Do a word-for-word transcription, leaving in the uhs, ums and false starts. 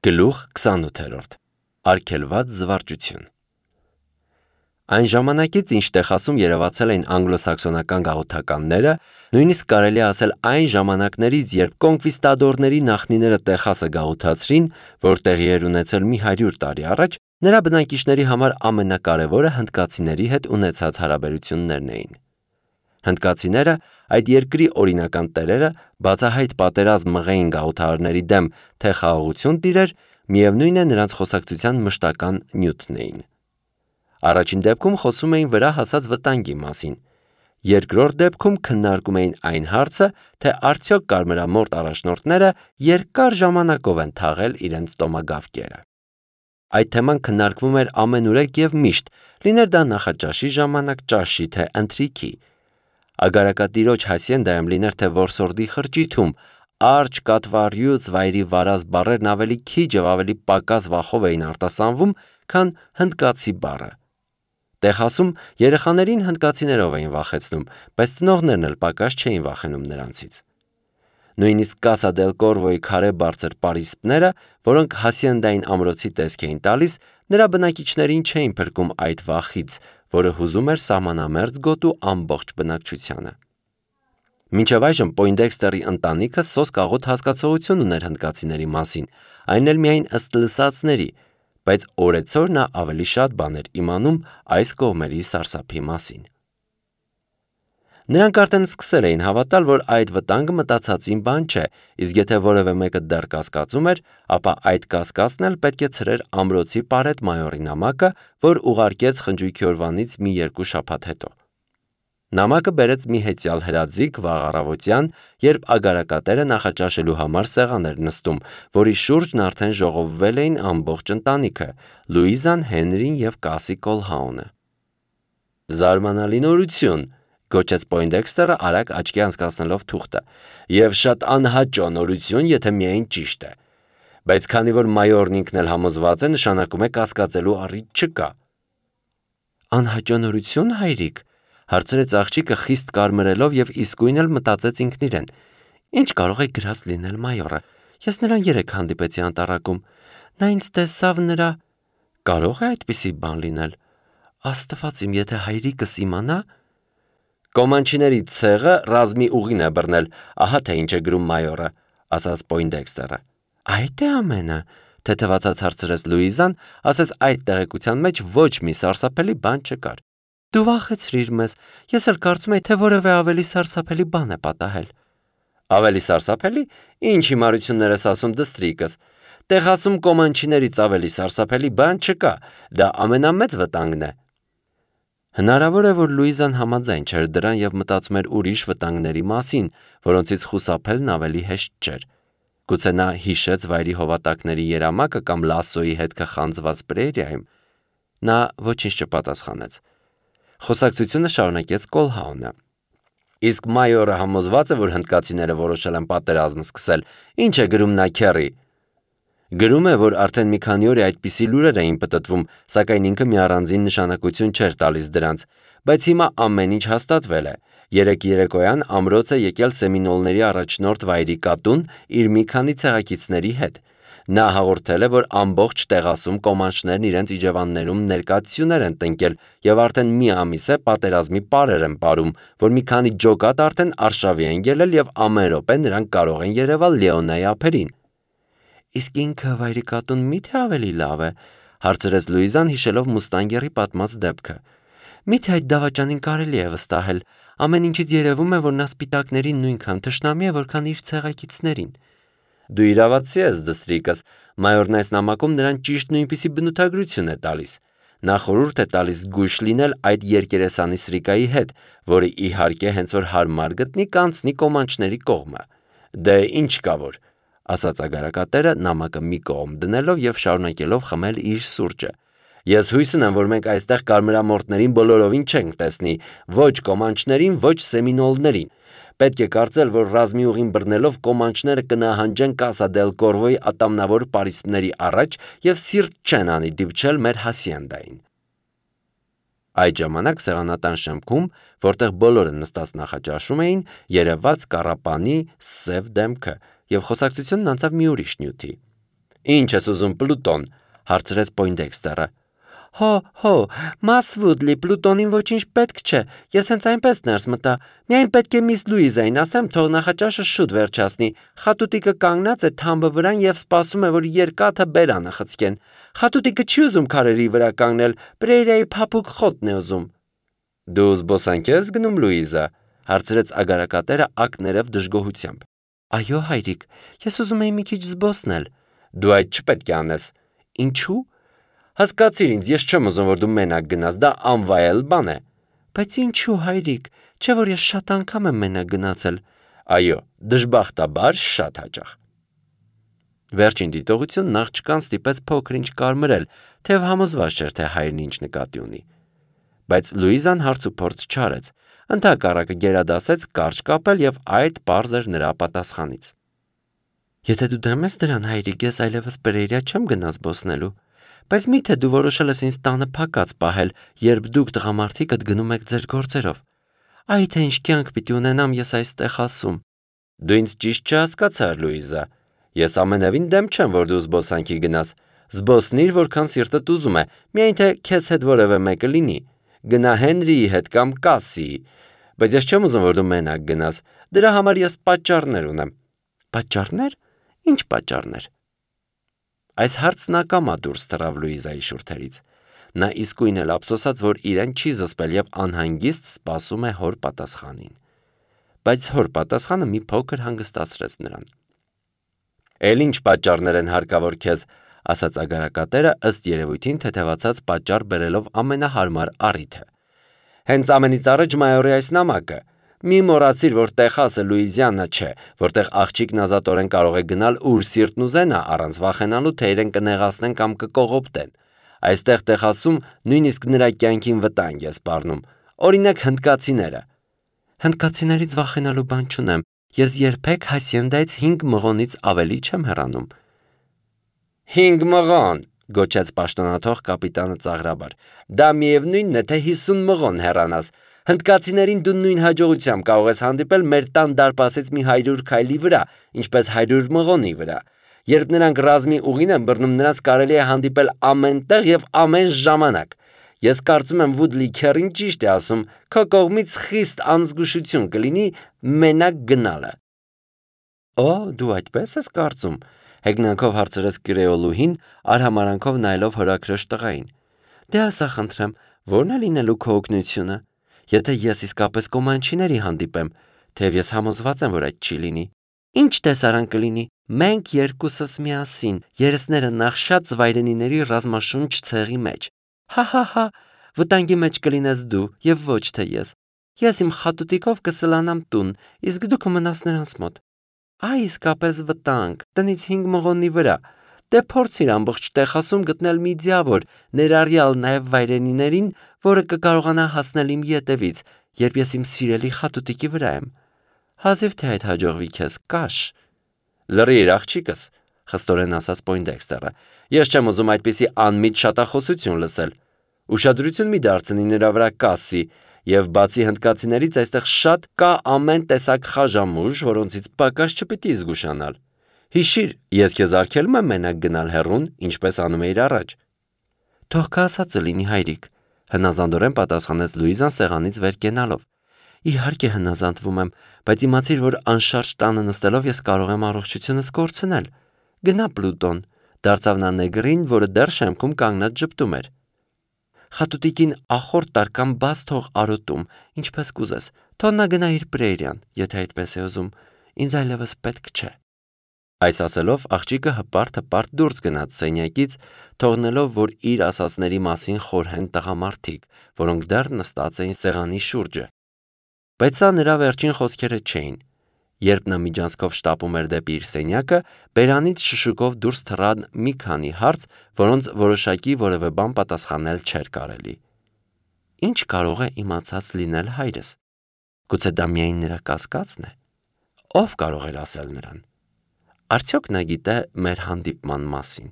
Գլուխ քսանութ. Արգելված զվարճություն։ Այն ժամանակից, ինչ Տեխասում երևացել էին անգլոսաքսոնական գաղութականները, նույնիսկ կարելի է ասել այն ժամանակներից, երբ կոնկվիստադորների նախնիները Տեխասը գաղութացրին, որ տեղի էր ունեցել մի հարյուր տարի առաջ, նրա բնակիչների համար ամենակարևորը հնդկացիների հետ ունեցած հարաբերություններն էին։ Հնդկացիները, այդ երկրի օրինական տերերը, բացահայտ պատերազմ մղեին գաղութարարների դեմ, թե խաղաղություն տիրեր, միևնույն է նրանց խոսակցության մշտական նյութն էին։ Առաջին դեպքում խոսում էին վրա հասած վտանգի մասին, երկրորդ դեպքում քննարկում էին այն հարցը, թե արդյոք կարմրամորդ առաջնորդները երկար ժամանակով են թաղել իրենց տոմագավկերը։ Այդ թեման քննարկվում էր ամենուրեք և միշտ, լիներ դա նախաճաշի ժամանակ, ճաշի, թե ընթրիքի։ Ագարակատիրոջ հասիենդայում լիներ թե որսորդի խրճիթում, արջ կատվառյուծ վայրի վարած բառերն ավելի քիչ և ավելի պակաս վախով էին արտասանվում, քան հնդկացի բառը։ Տեխասում երեխաներին հնդկացիներով էին վախեցնում, բայց ծնողներն էլ պակաս չէին վախենում նրանցից։ Նույնիսկ Կասա դել Կորվոյի քարե բարձր պարիսպները, որոնք հասիենդային ամրոցի տեսք էին տալիս, նրա բնակիչներին չէին փրկում այդ վախից, որը հուզում էր սահմանամերձ գոտու ամբողջ բնակչությանը։ Մինչև այժմ Պոյնդեքստերի ընտանիքը սոսկ-աղոտ հասկացողություն ուներ հնդկացիների մասին, այն էլ միայն ըստ լսածների, բայց օրեցօր նա ավելի շատ բան էր իմանում այս կողմերի սարսափի մասին։ Նրանք արդեն սկսել էին հավատալ, որ այդ վտանգը մտածածին բան չէ, իսկ եթե որևէ մեկը դեռ կասկածում էր, ապա այդ կասկածն էլ պետք է ցրեր ամրոցի պարետ մայորի նամակը, որ ուղարկեց խնջույքի օրվանից մի երկու շաբաթ հետո։ Նամակը բերեց մի հեծյալ հրաձիգ վաղ առավոտյան, երբ ագարակատերը նախաճաշելու համար սեղան էր նստում, որի շուրջն արդեն ժողովվել էին ամբողջ ընտանիքը՝ Լուիզան, Հենրին և Կասի Կոլհաունը։ «Զարմանալի նորություն», գոչեց Պոյնդեքստերը արագ աչքի անցկացնելով թուղթը, «և շատ անհաճո նորություն, եթե միայն ճիշտ է։ Բայց քանի որ մայորն ինքն էլ համոզված է, նշանակում է կասկածելու առիթ չկա»։ «Անհաճո նորություն, հայրիկ», հարցրեց աղջիկը խիստ կարմրելով և իսկույն էլ մտածեց ինքն իրեն. «Ինչ կարող է գրած լինել մայորը։ Ես նրան երեկ հանդիպեցի անտառակում։ Նա ինձ տեսավ նրա… Կարող է այդպիսի բան լինել։ Աստված իմ, եթե հայրիկս իմանա…» «Կոմանչիների ցեղը ռազմի ուղին է բռնել, ահա թե ինչ է գրում մայորը», ասաց Պոյնդեքստերը։ «Այդ է ամենը», թեթևացած հարցրեց Լուիզան, ասես այդ տեղեկության մեջ ոչ մի սարսափելի բան չկար։ «Դու վախեցրիր մեզ, ես էլ կարծում էի, թե որևէ ավելի սարսափելի բան է պատահել»։ «Ավելի սարսափելի… Ինչ հիմարություններ ես ասում, դստրիկս։ Տեխասում կոմանչիներից ավելի սարսափելի բան չկա, դա ամենամեծ վտանգն է»։ Հնարավոր է, որ Լուիզան համաձայն չէր դրան և մտածում էր ուրիշ վտանգների մասին, որոնցից խուսափելն ավելի հեշտ չէր։ Գուցե նա հիշեց վայրի հովատակների երամակը կամ Լասսոյի հետքը խանձված պրերիայում։ Նա ոչինչ չպատասխանեց։ Խոսակցությունը շարունակեց Կոլհաունը։ «Իսկ մայորը համոզված է, որ հնդկացիները որոշել են պատերազմ սկսել, ինչ է գրում նա, քեռի»։ Գրում է, որ արդեն մի քանի օր է այդպիսի լուրեր էին պտտվում, սակայն ինքը մի առանձին նշանակություն չէր տալիս դրանց, բայց հիմա ամեն ինչ հաստատվել է։ Երեկ երեկոյան ամրոց է եկել Սեմինոլների առաջնորդ վայրի կատուն իր մի քանի ցեղակիցների հետ։ Նա հաղորդել է, որ ամբողջ Տեխասում կոմանչներն իրենց իջևաններում ներկայացություններ են տնկել և արդեն մի ամիս է պատերազմի պարեր են պարում, որ մի քանի ջոկատ արդեն արշավի են ելել և ամեն րոպե նրանք կարող են երևալ Լեոնայի ափերին։ «Իսկ ինքը վայրի կատուն մի՞թե ավելի լավ է», հարցրեց Լուիզան, հիշելով Մուստանգերի պատմած դեպքը։ «Մի՞թե այդ դավաճանին կարելի է վստահել։ Ամեն ինչից երևում է, որ նա սպիտակներին նույնքան թշնամի է, որքան իր ցեղակիցներին»։ «Դու իրավացի ես, դստրիկս, մայորն այս նամակում նրան ճիշտ նույնպիսի բնութագրություն է տալիս։ Նա խորհուրդ է տալիս զգույշ լինել այդ երկերեսանի սրիկայի հետ, որը իհարկե հենց որ հարմար գտնի կանցնի կոմանչների կողմը։ Դե ինչ կա որ», ասաց ագարակատերը, նամակը մի կողմ դնելով և շարունակելով խմել իր սուրճը։ «Ես հույս ունեմ, որ մենք այստեղ կարմրամորտներին բոլորովին չենք տեսնի, ոչ կոմանչներին, ոչ սեմինոլներին։ Պետք է կարծել, որ ռազմի ուղին բռնելով կոմանչները կնահանջեն Կասա դել Կորվոյի ատամնավոր պարիսպների առաջ և սիրտ չեն անի դիպչել մեր հասիենդային»։ Այդ ժամանակ սեղանատան շեմքում, որտեղ բոլորը նստած նախաճաշում էին, երևաց Կառապանի սև դեմքը, և խոսակցությունն անցավ մի ուրիշ նյութի։ Ինչ ես ուզում, Պլուտոն, հարցրեց Պոյնդեքստերը։ Հո, հո, Մաս Վուդլի, Պլուտոնին ոչինչ պետք չէ, ես հենց այնպես ներս մտա, միայն պետք է միս Լուիզային ասեմ, թող նախաճաշը շուտ վերջացնի, խատուտիկը կանգնած է թամբը վրան և սպասում է, որ երկաթը բերանը խցկեն, խատուտիկը չի ուզում քարերի վրա կանգնել, Պրեյրայի փափուկ խոտն է ուզում։ Դու զբոսանք ես գնում, Լուիզա, հարցրեց ագարակատերը ակներև դժգոհությամբ։ Այո, հայրիկ, ես ուզում եի մի քիչ զբոսնել։ Դու այդ չպետք է անես։ Ինչու՞։ Հասկացիր ինձ, ես չեմ ուզում, որ դու մենակ գնաս, դա անվայել բան է։ Բայց ինչու, հայրիկ, չէ՞ որ ես շատ անգամ եմ մենակ գնացել։ Այո, դժբախտաբար շատ հաճախ։ Վերջին դիտողությունն աղջկան ստիպեց փոքր-ինչ կարմրել, թեև համոզված չէր, թե հայրն ինչ նկատի ունի։ Բայց Լուիզան հարց ու փորձ չարեց, ընդհակառակը գերադասեց կարճ կապել և այդ պարզ էր նրա պատասխանից։ Եթե դու դեմ ես դրան, հայրիկ, ես այլևս Պերեյրա չեմ գնա զբոսնելու, բայց միթե դու որոշել ես ինձ տանը փակած պահել, երբ դուք տղամարդիկդ գնում եք ձեր գործերով։ Այ թե ինչ կյանք պիտի ունենամ ես այստեղ ասում։ Դու ինձ ճիշտ չհասկացար, Լուիզա։ Ես ամենևին դեմ չեմ, որ դու զբոսանքի գնաս։ Զբոսնիր, որքան սիրտդ ուզում է, միայն թե քեզ հետ որևէ մեկը լինի։ Գնա Հենրիի հետ կամ Կասսիի։ Բայց ես չեմ ուզում, որ դու մենակ գնաս։ Դրա համար ես պատճառներ ունեմ։ Պատճառներ։ Ինչ պատճառներ։ Այս հարցն ակամա դուրս թռավ Լուիզայի շուրթերից։ Նա իսկույն էլ ափսոսաց, որ իրեն չի զսպել և անհանգիստ սպասում է հոր պատասխանին։ Բայց հոր պատասխանը մի փոքր հանգստացրեց նրան։ Էլ ինչ պատճառներ են հարկավոր քեզ, ասաց ագարակատերը ըստ երևույթին թեթևացած պատճառ բերելով ամենահարմար առիթը։ Հենց ամենից առաջ մայորի այս նամակը։ Մի մոռացիր, որ Տեխասը Լուիզիանա չէ, որտեղ աղջիկն ազատորեն կարող է գնալ ուր սիրտն ուզենա, առանց վախենալու, թե իրեն կնեղացնեն կամ կկողոպտեն։ Այստեղ Տեխասում նույնիսկ նրա կյանքին վտանգ է սպառնում։ Օրինակ հնդկացիները։ Հնդկացիներից վախենալու բան չունեմ։ Ես երբեք Հասիենդայից հինգ մղոնից ավելի չեմ հեռանում։ Հինգ մղոն, գոչեց պաշտոնաթող կապիտանը ծաղրաբար։ Դա միևնույնն է, թե հիսուն մղոն հեռանաս։ Հնդկացիներին դու նույն հաջողությամբ կարող ես հանդիպել մեր տան դարպասից մի հարյուր քայլի վրա, ինչպես հարյուր մղոնի վրա։ Երբ նրանք ռազմի ուղին են բռնում, նրանց կարելի է հանդիպել ամեն տեղ և ամեն ժամանակ։ Ես կարծում եմ Վուդլի քեռին ճիշտ է ասում, քո կողմից խիստ անզգուշություն կլինի մենակ գնալը։ Օ, դու այդպես ես կարծում, հեգնանքով հարցրեց կրեոլուհին, արհամարանքով նայելով հորաքրոջ տղային։ Դե ասա խնդրեմ, ո՞րն է լինելու քո օգնությունը։ Եթե ես իսկապես կոմանչիների հանդիպեմ, թեև ես համոզված եմ, որ այդ չի լինի։ Ինչ տեսարան կլինի։ Մենք երկուսս միասին, երեսները նախշած վայրենիների ռազմաշունչ ցեղի մեջ։ Հա-հա-հա, վտանգի մեջ կլինես դու և ոչ թե ես։ Ես իմ խատուտիկով կսլանամ տուն, իսկ դու կմնաս նրանց մոտ։ Այ իսկապես վտանգ, տնից հինգ մղոնի վրա։ Դե փորձիր ամբողջ Տեխասում գտնել մի ձիավոր, ներառյալ նաև վայրենիներին, որը կկարողանա հասնել իմ ետևից, երբ ես իմ սիրելի խատուտիկի վրա եմ։ Հազիվ թե այդ հաջողվի քեզ, կաշ։ Լռիր, աղջիկս, խստորեն ասաց Պոյնդեքստերը։ Ես չեմ ուզում այդպիսի անմիտ շատախոսություն լսել։ Ուշադրություն մի դարձնի նրա վրա Կասսի, և բացի հնդկացիներից այստեղ շատ կա ամեն տեսակ խաժամուժ, որոնցից պակաս չպիտի զգուշանալ։ Հիշիր, ես քեզ արգելում եմ մենակ գնալ հեռուն, ինչպես անում էիր առաջ։ Թող կա ասածը լինի, հայրիկ, հնազանդորեն պատասխանեց Լուիզան սեղանից վեր կենալով։ Իհարկե հնազանդվում եմ, բայց իմացիր, որ անշարժ տանը նստելով ես կարող եմ առողջությունս կորցնել։ Գնա Պլուտոն, դարձավ նա նեգրին, որը դեռ շեմքում կանգնած ժպտում էր։ Խատուտիկին ախորդ տար կամ բաց թող արոտում, ինչպես կուզես, թող նա գնա իր Պրեյրան, եթե այդպես է ուզում, ինձ այլևս պետք չէ։ Այս ասելով աղջիկը հպարտ-հպարտ դուրս գնաց սենյակից, թողնելով, որ իր ասածների մասին խորհեն տղամարդիկ, որոնք դեռ նստած էին սեղանի շուրջը։ Բայց սա նրա վերջին խոսքերը չէին։ Երբ նա միջանցքով շտապում էր դեպի իր սենյակը, բերանից շշուկով դուրս թռան մի քանի հարց, որոնց որոշակի որևէ բան պատասխանել չէր կարելի։ Ինչ կարող է իմացած լինել հայրս։ Գուցե դա միայն նրա կասկածն է։ Ով կարող էր ասել նրան։ Արդյոք նա գիտե մեր հանդիպման մասին։